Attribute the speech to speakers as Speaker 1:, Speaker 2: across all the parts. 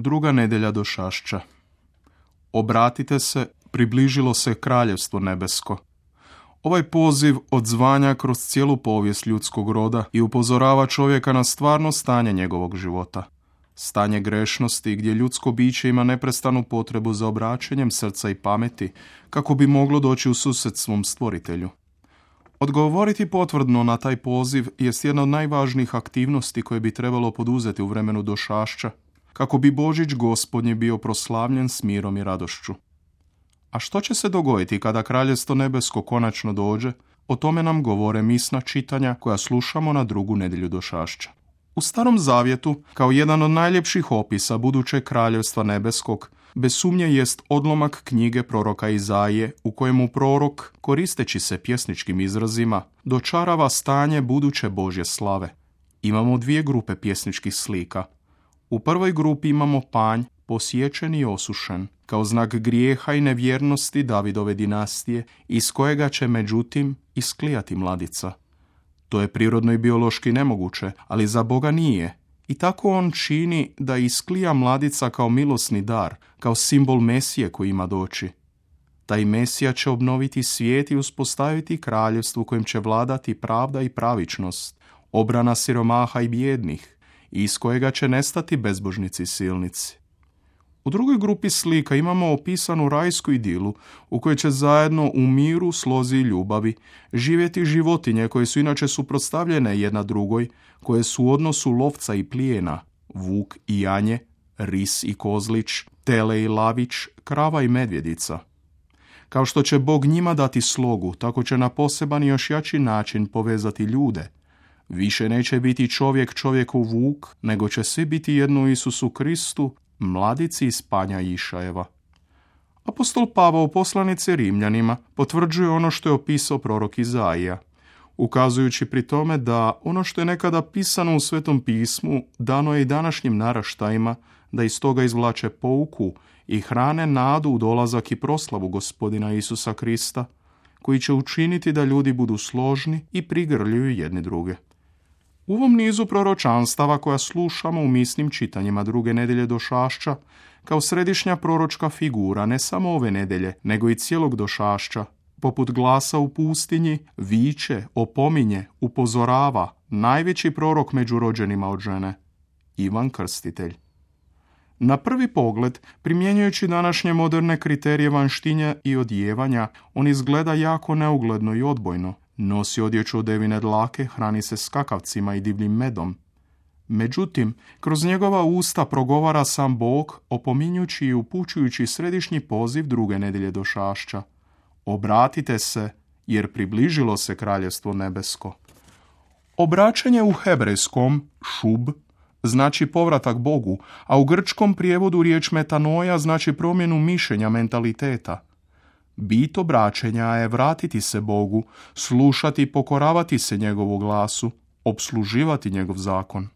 Speaker 1: Druga nedjelja došašća. Obratite se, približilo se kraljevstvo nebesko. Ovaj poziv odzvanja kroz cijelu povijest ljudskog roda i upozorava čovjeka na stvarno stanje njegovog života. Stanje grešnosti gdje ljudsko biće ima neprestanu potrebu za obraćanjem srca i pameti kako bi moglo doći u susret svom stvoritelju. Odgovoriti potvrdno na taj poziv jest jedna od najvažnijih aktivnosti koje bi trebalo poduzeti u vremenu došašća, kako bi Božić Gospodnji bio proslavljen s mirom i radošću. A što će se dogoditi kada kraljevstvo nebesko konačno dođe? O tome nam govore misna čitanja koja slušamo na drugu nedjelju došašća. U Starom Zavjetu, kao jedan od najljepših opisa budućeg kraljevstva nebeskog, bez sumnje jest odlomak knjige proroka Izaije, u kojemu prorok, koristeći se pjesničkim izrazima, dočarava stanje buduće Božje slave. Imamo dvije grupe pjesničkih slika. U prvoj grupi imamo panj, posječen i osušen, kao znak grijeha i nevjernosti Davidove dinastije, iz kojega će međutim isklijati mladica. To je prirodno i biološki nemoguće, ali za Boga nije. I tako on čini da isklija mladica kao milosni dar, kao simbol Mesije koji ima doći. Taj Mesija će obnoviti svijet i uspostaviti kraljevstvo kojim će vladati pravda i pravičnost, obrana siromaha i bijednih, iz kojega će nestati bezbožnici i silnici. U drugoj grupi slika imamo opisanu rajsku idilu u kojoj će zajedno u miru, slozi i ljubavi živjeti životinje koje su inače suprotstavljene jedna drugoj, koje su u odnosu lovca i plijena, vuk i janje, ris i kozlić, tele i lavić, krava i medvjedica. Kao što će Bog njima dati slogu, tako će na poseban i još jači način povezati ljude. Više neće biti čovjek čovjeku vuk, nego će svi biti jedno u Isusu Kristu, mladici iz panja Išajeva. Apostol Pavao u poslanici Rimljanima potvrđuje ono što je opisao prorok Izaija, ukazujući pri tome da ono što je nekada pisano u Svetom pismu dano je i današnjim naraštajima, da iz toga izvlače pouku i hrane nadu u dolazak i proslavu Gospodina Isusa Krista, koji će učiniti da ljudi budu složni i prigrljuju jedni druge. U ovom nizu proročanstava koja slušamo u misnim čitanjima druge nedjelje došašća, kao središnja proročka figura ne samo ove nedjelje, nego i cijelog došašća, poput glasa u pustinji, viče, opominje, upozorava najveći prorok među rođenima od žene, Ivan Krstitelj. Na prvi pogled, primjenjujući današnje moderne kriterije vanštinja i odjevanja, on izgleda jako neugledno i odbojno. Nosi odjeću od devine dlake, hrani se skakavcima i divljim medom. Međutim, kroz njegova usta progovara sam Bog, opominjući i upućujući središnji poziv druge nedjelje došašća. Obratite se, jer približilo se kraljevstvo nebesko. Obraćanje u hebrejskom, šub, znači povratak Bogu, a u grčkom prijevodu riječ metanoja znači promjenu mišljenja, mentaliteta. Bit obraćenja je vratiti se Bogu, slušati i pokoravati se njegovu glasu, opsluživati njegov zakon.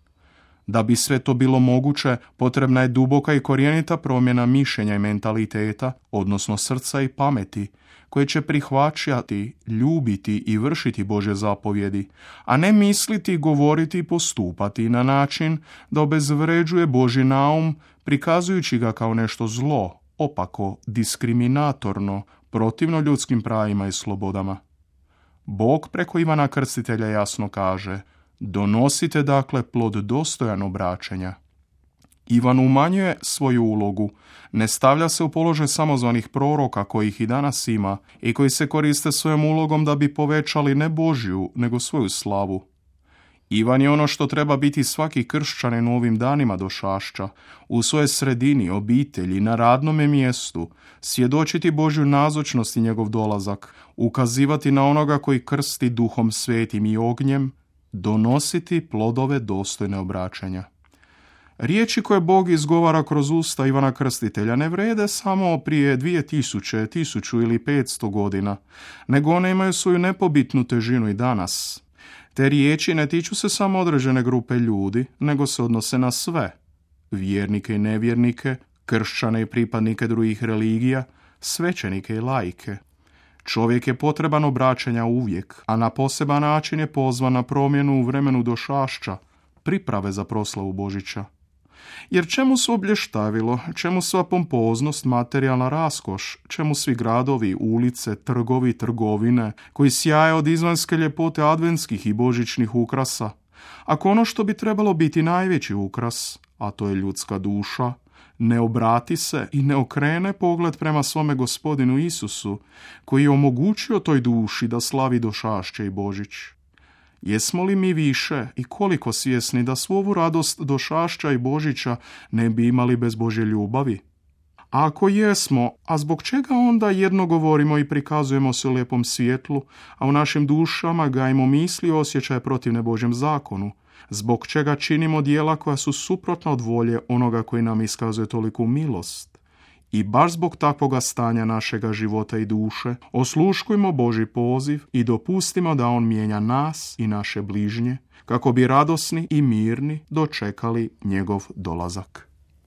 Speaker 1: Da bi sve to bilo moguće, potrebna je duboka i korijenita promjena mišljenja i mentaliteta, odnosno srca i pameti, koje će prihvaćati, ljubiti i vršiti Božje zapovjedi, a ne misliti, govoriti i postupati na način da obezvređuje Božji naum, prikazujući ga kao nešto zlo, opako, diskriminatorno, protivno ljudskim pravima i slobodama. Bog preko Ivana Krstitelja jasno kaže: donosite dakle plod dostojan obraćenja. Ivan umanjuje svoju ulogu, ne stavlja se u položaj samozvanih proroka kojih i danas ima i koji se koriste svojom ulogom da bi povećali ne Božju, nego svoju slavu. Ivan je ono što treba biti svaki kršćanin u ovim danima došašća, u svojoj sredini, obitelji, na radnome mjestu, svjedočiti Božju nazočnost i njegov dolazak, ukazivati na onoga koji krsti Duhom Svetim i ognjem, donositi plodove dostojne obraćanja. Riječi koje Bog izgovara kroz usta Ivana Krstitelja ne vrede samo prije 2000, 1000 ili 500 godina, nego one imaju svoju nepobitnu težinu i danas. Te riječi ne tiču se samo određene grupe ljudi, nego se odnose na sve, vjernike i nevjernike, kršćane i pripadnike drugih religija, svećenike i laike. Čovjek je potreban obraćanja uvijek, a na poseban način je pozvan na promjenu u vremenu došašća, priprave za proslavu Božića. Jer čemu su oblještajilo, čemu sva pompoznost, materijalna raskoš, čemu svi gradovi, ulice, trgovi, trgovine, koji sjaje od izvanjske ljepote adventskih i božićnih ukrasa, ako ono što bi trebalo biti najveći ukras, a to je ljudska duša, ne obrati se i ne okrene pogled prema svome Gospodinu Isusu, koji je omogućio toj duši da slavi došašće i Božić. Jesmo li mi više i koliko svjesni da svu ovu radost došašća i Božića ne bi imali bez Božje ljubavi? A ako jesmo, a zbog čega onda jedno govorimo i prikazujemo se u lijepom svjetlu, a u našim dušama gajimo misli i osjećaje protivne Božjem zakonu? Zbog čega činimo djela koja su suprotna od volje onoga koji nam iskazuje toliku milost? I baš zbog takvoga stanja našega života i duše osluškujmo Božji poziv i dopustimo da On mijenja nas i naše bližnje, kako bi radosni i mirni dočekali njegov dolazak.